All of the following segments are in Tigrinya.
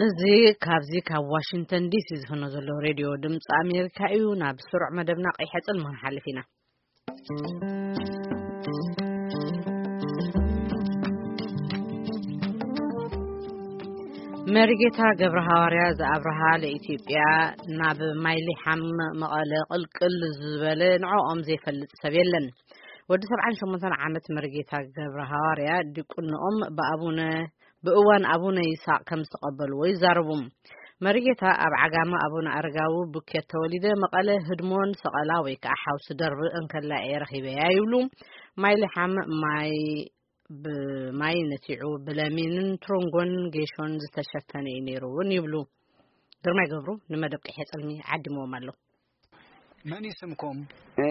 እዚ ካብዚ ካብ ዋሽንግተን ዲሲ ዝፍኖ ዘሎ ሬድዮ ድምፂ ኣሜሪካ እዩ። ናብ ስሩዕ መደብና ቀይሐ ጽልሚ ክንሓልፍ ኢና። መሪጌታ ገብረ ሃዋርያ ዝኣብርሃ ለኢትዮጵያ ናብ ማይሊሓም መቐለ ቅልቅል ዝበለ ንዕኦም ዘይፈልጥ ሰብ የለን። ወዲ ሰብዓን ሸሞንተን ዓመት መሪጌታ ገብረ ሃዋርያ ዲቁንኦም ብኣቡነ ብእዋን ኣቡነ ይስሐቅ ከም ዝተቐበልዎ ይዛረቡ። መሪጌታ ኣብ ዓጋመ ኣቡነ ኣረጋዊ ቡኬት ተወሊደ፣ መቐለ ህድሞን ሰቐላ ወይ ከዓ ሓውሲ ደርቢ እንከላ እየ ረኺበያ ይብሉ። ማይሊሓም ማይ ብማይ ነቲዑ ብለሚንን ትሮንጎን ጌሾን ዝተሸፈነ እዩ ነይሩ እውን ይብሉ። ግርማይ ገብሩ ንመደብ ቀይሐ ጽልሚ ዓዲምዎም ኣሎ። መን እዩ ስምኩም? እ፣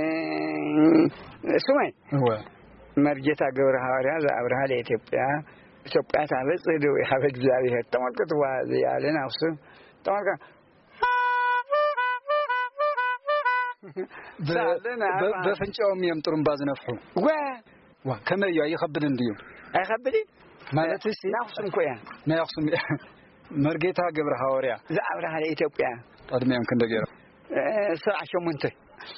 ስመይ እወ። መርጌታ ገብረ ሃዋርያ ዘኣብርሃ ለኢትዮጵያ። ኢትዮጵያ ታበጽሕ እደዊሃ በእግዚኣብሔር። ተመልከትዋ፣ እዚኣ ኣለን ኣኽሱም። ተመልከ-፣ ብ-፣ ሳለን ብ-፣ ኣርባ። በፍንጫኦም እዮም ጥሩምባ ዝነፍሑ። ወ-፣ ዋ፣ ከመይ እዩ? ኣይኸብድን ድዩ? ኣይኸብድን? ማለት እሲ ናይ ኣኽሱም እኮ እያ። ናይ ኣኽሱም እያ። መርጌታ ገብረ ሃዋርያ። ዘኣብርሃ ለኢትዮጵያ። ዕድሜኦም ክንደይ ገይሮም? እ፣ ሰብዓ ሸሞንተ።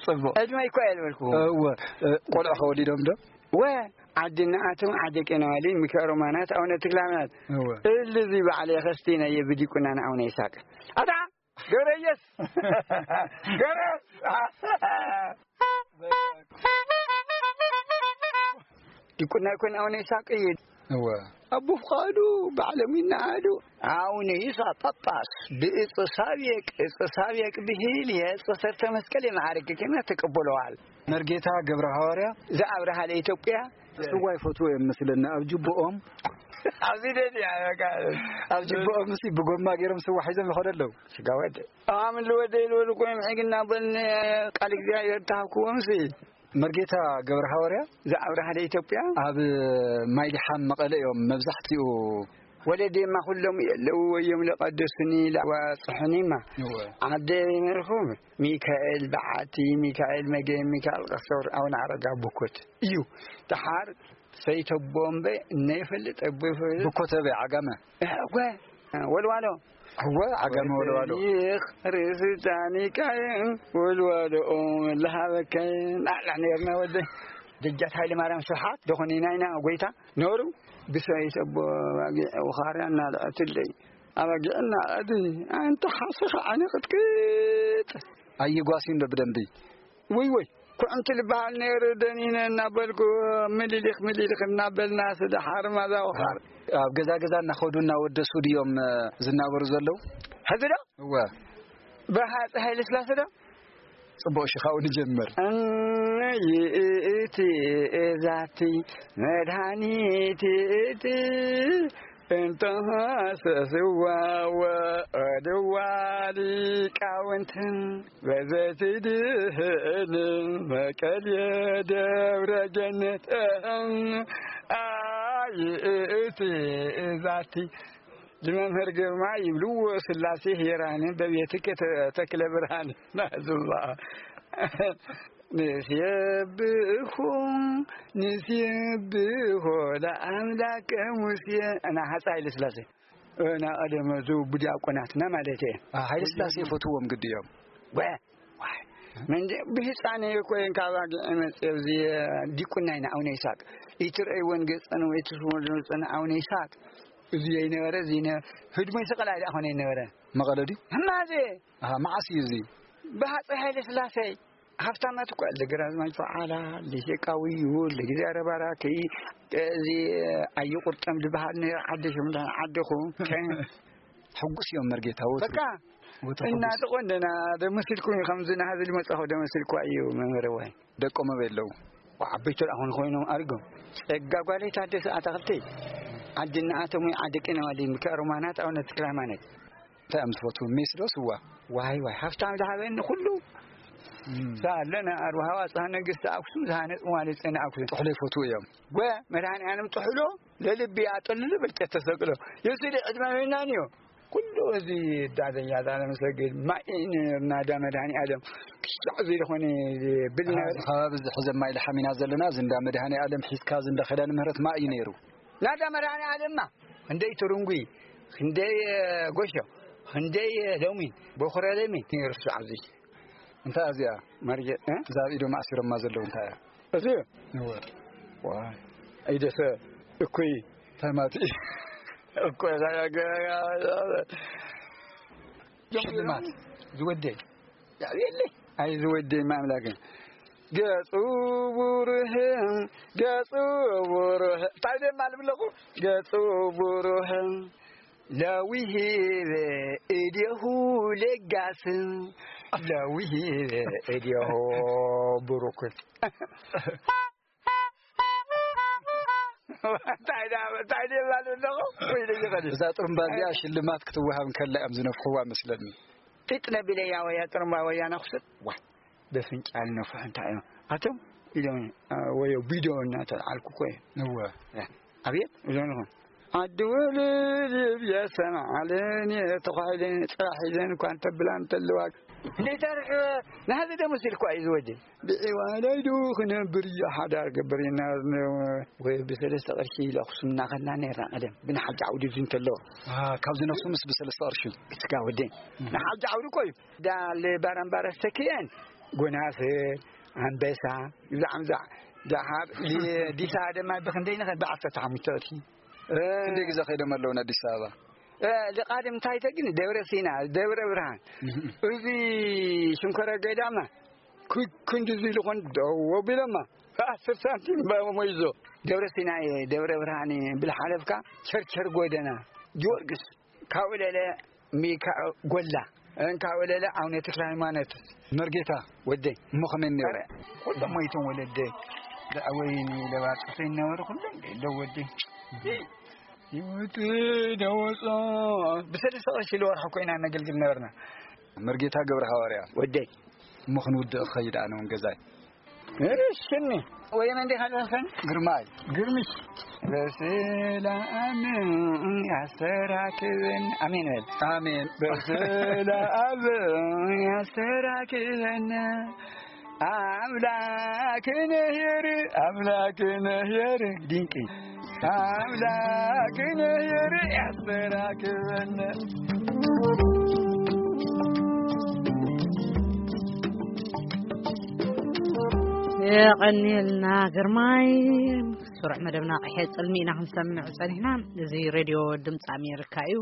ጽቡቕ። ዕድመይ እኮ እየ ዝበልኩ። እወ፣ እ፣ ቆልዑ ከወሊዶም ዶ? ወ፣ ዓዲ እናኣቶም ዓዲ ቄናዋሊ፣ ሚካኤል ሮማናት፣ ኣቡነ ተክለሃይማኖት። እወ። እልዚ ባዕለ ከስቲና እየ ብዲቁና ንኣቡነ ይስሐቅ። ኣታ! ገብረየስ! ገብረየስ! ዲቁና ይኮን ኣቡነ ይስሐቅ እዩ። እወ። ኣቦ ፍቃዱ፣ ባዕሎም ይነኣዱ። ኣቡነ ይስሐቅ ጳጳስ፣ ብእፀ ሳቤቅ፣ እፀ ሳቤቅ ብሂል የእፀ ሰርተ መስቀል የማዕርግ ክህነት ተቀበለዋል። መርጌታ ገብረ ሃዋርያ። ዘኣብርሃ ለኢትዮጵያ። ስዋ ይፈትዎ እዮም መስለኒ፣ ኣብ ጅብኦም። ኣብዚ ደልያ፣ በቃ። ኣብ ጅብኦም ሲ ብጎማ ገይሮም ስዋ ሒዞም ይኸዱ ኣለዉ። ስጋ ወደ። ኣምን ልወደ ኢሉ ልኮ ይምሕግ እናበልን ቃል እግዚኣብሔር ተሃብክዎም ሲ። መርጌታ ገብረ ሃዋርያ። ዘኣብርሃ ለኢትዮጵያ። ኣብ ማይሊሓም መቐለ እዮም መብዛሕትኡ። ወለዴማ ኩሎም የለዉ ወዮም ለቀደሱኒ ለዋጽሑኒማ። እወ። ዓደ ይመርኹም ሚካኤል በዓቲ፣ ሚካኤል መገ፣ ሚካኤል ቀሰር፣ ኣቡነ ኣረጋ ቡኮት እዩ። ደሓር ሰይተቦምበ እነይፈልጥ እቦ ይፈልጥ። ቡኮት ኣበይ? ዓጋመ? እወ። ወልዋሎ። እወ፣ ዓጋመ ወልዋሎ። ይኽ ርእሲ ዳኒካየን ወልዋሎ ለሃበከን። ኣላ ነርና ወደ ደጃት ሃይለ ማርያም ስብሓት ደኾነ ናይና ጎይታ ነሩ ብሰይት ኣቦ ኣባጊዕ ውኻርያ እናልዐትለይ። ኣባጊዕ እናልዐት ኣንቲ ሓሰኻ ዓይነ ቅጥቅጥ። ኣይጓስዩን ዶ ብደንቢ? ወይ ወይ፣ ኩዕንቲ ልበሃል ነይሩ ደኒነ እናበልኩ ምሊሊኽ ምሊሊኽ እናበልና ስለ ሓርማዛ ወኻር። ኣብ ገዛ ገዛ እናኸዱ እናወደሱ ድዮም፣ እ፣ ዝናበሩ ዘለዉ? ሕዚ ዶ? እወ። ብሃፀይ ሃይለ ስላሴ ዶ? ጽቡቕ፣ እሺ፣ ካብኡ ንጀምር። እነ ይእቲ እዛቲ መድሃኒት ይእቲ እንተሃሰስዋ ወድዋ ሊቃውንትን በዘቲ ድህልን መቀልየ ደብረ ገነት። ኣይእቲ እዛቲ ንመምህር ግርማ ይብልዎ ስላሴ ሄራን በቤትከ ተ-፣ ተክለ ብርሃን ናዝላ። ንሴብሖ ንሴብሖ ለኣምላከ ሙሴ። እና ሃፀ ሃይለ ስላሴ። እና ቀደመ ዙ ብዲያቆናትና ማለት እየ። አ፣ ሃይለ ስላሴ ይፈትዎም ግዲ እዮም። ወ-፣ ዋይ። መንደ-፣ ብህፃነ ኮይን ካብ ኣግዒ መፅእ ኣብዚ ዲቁና ኢና ኣቡነ ይስሐቅ። ይትርእይዎን ገፀን ወይ ትስወሉ ገፀን ኣቡነ ይስሐቅ። እዚ ይነበረ፣ እዚ ይነ-፣ ህድሞ ይስቀል ኣይዳ ኮነ ይነበረ። መቐለ ድዩ? ህማዜ። ኣሃ፣ መዓስ እዩ እዚ? ብሃፀይ ሃይለ ስላሴ። ሃብታማት እኮ ለግራዝማች በዓላ፣ ለሸቃዊ ይሁን፣ ለጊዜ ኣረባራኪ፣ እዚ ኣዩ ቁርጠም ዝበሃል ነይሩ፣ ዓዲ ሽምዳ ዓዲኹ። ሕጉስ እዮም መርጌታ ወትሩ። በቃ። ወትሩ ሕጉስ። እናተቆንደና ደመሲልኩም እዩ፣ ከምዚ ናሃዚ ልመጻኹ ደመሲልኩዋ እዩ መምህር ዋይ። ደቆም ኣበይ ኣለዉ? ዓበይቲ ደኣ ኾን ኮይኖም ኣሪጎም። ጸጋ ጓለይ ታደሰ ኣታኽልቲ። ዓዲ እናኣተሙ ዓዲ ቄናዋሊ ምክኣሮማናት ኣቡነ ተክለ ሃይማኖት። እንታይ እዮም ዝፈትዉ? ሜስ ዶ ስዋ? ዋይ ዋይ፣ ሃብታም ዝሃበኒ ኩሉ። እም። ሳለና ኣርባሃዋ ጻ ነገስቲ ኣክሱም ዝሃነጽ መዋሊ ጽዮን ኣክሱም። ጥሕሎ ይፈትዉ እዮም። ወ መድኃኔ ዓለም ጥሕሎ ለልቢ ኣጠልሉ ብልጨት ተሰቅሎ። የሱሊ ዕድመ መናን እዩ። ኩሉ እዚ ዳደኛ ዳነ መሰግድ ማይ ነርና ዳ መድኃኔ ዓለም። ክሻዕ እዚ ዝኾነ ብል ነበር። ኣብዚ ከባቢ እዚ ሕዘ ማይ ለሓሚና ዘለና፣ እዚ እንዳ መድኃኔ ዓለም ሒዝካ፣ እዚ እንዳ ኪዳነ ምህረት ማይ እዩ ነይሩ። ናዳ መድኃኔ ዓለምና እንደይ ትርንጉ ክንደይ ጎሾ፣ ክንደይ ሎሚን፣ በኹረ ለሚን ይርሱ ኣብዚ። እንታይ እዚኣ? ማርጌ፣ እ? እዛ ኣብ ኢዶም ኣሲሮማ ዘለዉ እንታይ እያ? እዚ እወ። ዋይ፣ ኣይደሰ እኩይ፣ እንታይ ማለት እዩ? እኮ ሽልማት ዝወደይ ያብየለይ። ኣይ ዝወደይ ማምላክ፣ ገጹ ብሩህ፣ ገጹ ብሩህ። እንታይ ደማ ልብለኹ? ገጹ ብሩህ፣ ለዊሂበ እዴሁ ለጋስ፣ ለዊሂበ እዴሁ ብሩክ። እንታይ ደኣ፣ እንታይ ደኣ ማለት ኣለኹ? ወይ ደጊ ኸዲ። እዛ ጥሩምባ እዚኣ ሽልማት ክትወሃብ እንከላ እዮም ዝነፍሕዋ መስለኒ። ጢጥ ነቢለያ ወያ ጥሩምባ ወያ ነኹስት። ዋ፣ በፍንጫል ነፍሑ እንታይ እዮም? ኣቶም ኢሎም፣ አ፣ ወዮ ቢዶ እናተልዓልኩ እኮ እየ። እወ። ያ፣ ኣብየት፣ እዞም ኢኹም። ዓዲ ውልድ ብየሰም ዓለን እየ ተዃዒለን፣ ጽራሕ ኢለን እኳ እንተብላ እንተለዋ። እንዴት ኣርሕ፣ ንሃዚ ደሞ ሲል እኳ እዩ ዝወዲ። ብዒዋለይ ዱ ክነብር እዩ ሓዳር ገበር ኢና፣ ወይ ብሰለስተ ቅርሺ ኢለ ኣኽሱም እናኸድና ነርና ቀደም፣ ብንሓጂ ዓውዲ እዚ እንተሎ። አ፣ ካብዚ ነፍሱ ምስ ብሰለስተ ቅርሺ። እስካ ወደይ፣ እም። ንሓጂ ዓውዲ እኮ እዩ። ዳል ባራምባር ኣስተክየን፣ ጎናፍር፣ ኣንበሳ፣ ይብዛዕ ምዛዕ፣ ደሓር፣ ዲ-፣ ዲሳ ደማ ብክንደይ ንኸ? ብዓሰርተ ሓሙሽተ ቅርሺ። እ፣ ክንደይ ግዜ ከይዶም ኣለዉ ንኣዲስ ኣበባ? እ፣ ልቓድም እንታይ ተግኒ? ደብረ ሲና፣ ደብረ ብርሃን። እህ። እዚ ሽንኮረ ገዳማ፣ ኩ-፣ ክንዲ እዚ ኢሉ ኾን ደው ኣቢሎማ። ዓሰርተ ሳንቲም ባቦ መይዞ። ደብረ ሲና እየ፣ ደብረ ብርሃን እየ፣ ብልሓለፍካ ቸርቸር ጎደና፣ ጊዮርጊስ፣ ካብኡ ለለ ሚካ-፣ ጎላ፣ እ፣ ካብኡ ለለ ኣቡነ ተክለ ሃይማኖት። መርጌታ፣ ወደይ፣ እሞ ከመይ ነይሩ? ኧረ፣ ኩሎም ሞይቶም ወለደይ። ደኣ ወይኒ ለባጥሰይ ነበሩ፣ ኩሎም ደው ወደይ። ህይወት ደወጾ። ብሰለስተ ቅርሺ ለወርሒ ኮይና ነገልግል ነበርና። መርጌታ ገብረ ሃዋርያ። ወደይ። እሞ ክንውድእ ክኸይድ ኣነ እውን ገዛይ። እሽኒ። ወይ መን ዲኻ ደርሰን? ግርማይ። ግርምሽ። በሰላም ያስተራክበን። ኣሜን በል። ኣሜን። በሰላም ያስተራክበን። ኣምላክ ነሄር፣ ኣምላክ ነሄር፣ ድንቂ ኣምላክ ነሄር ያስተራክበን። የቐንየልና ግርማይ። ስሩዕ መደብና ቀሐ ጽልሚ ኢና ክንሰምዕ ጸኒሕና። እዚ ሬድዮ ድምፂ ኣሜሪካ እዩ።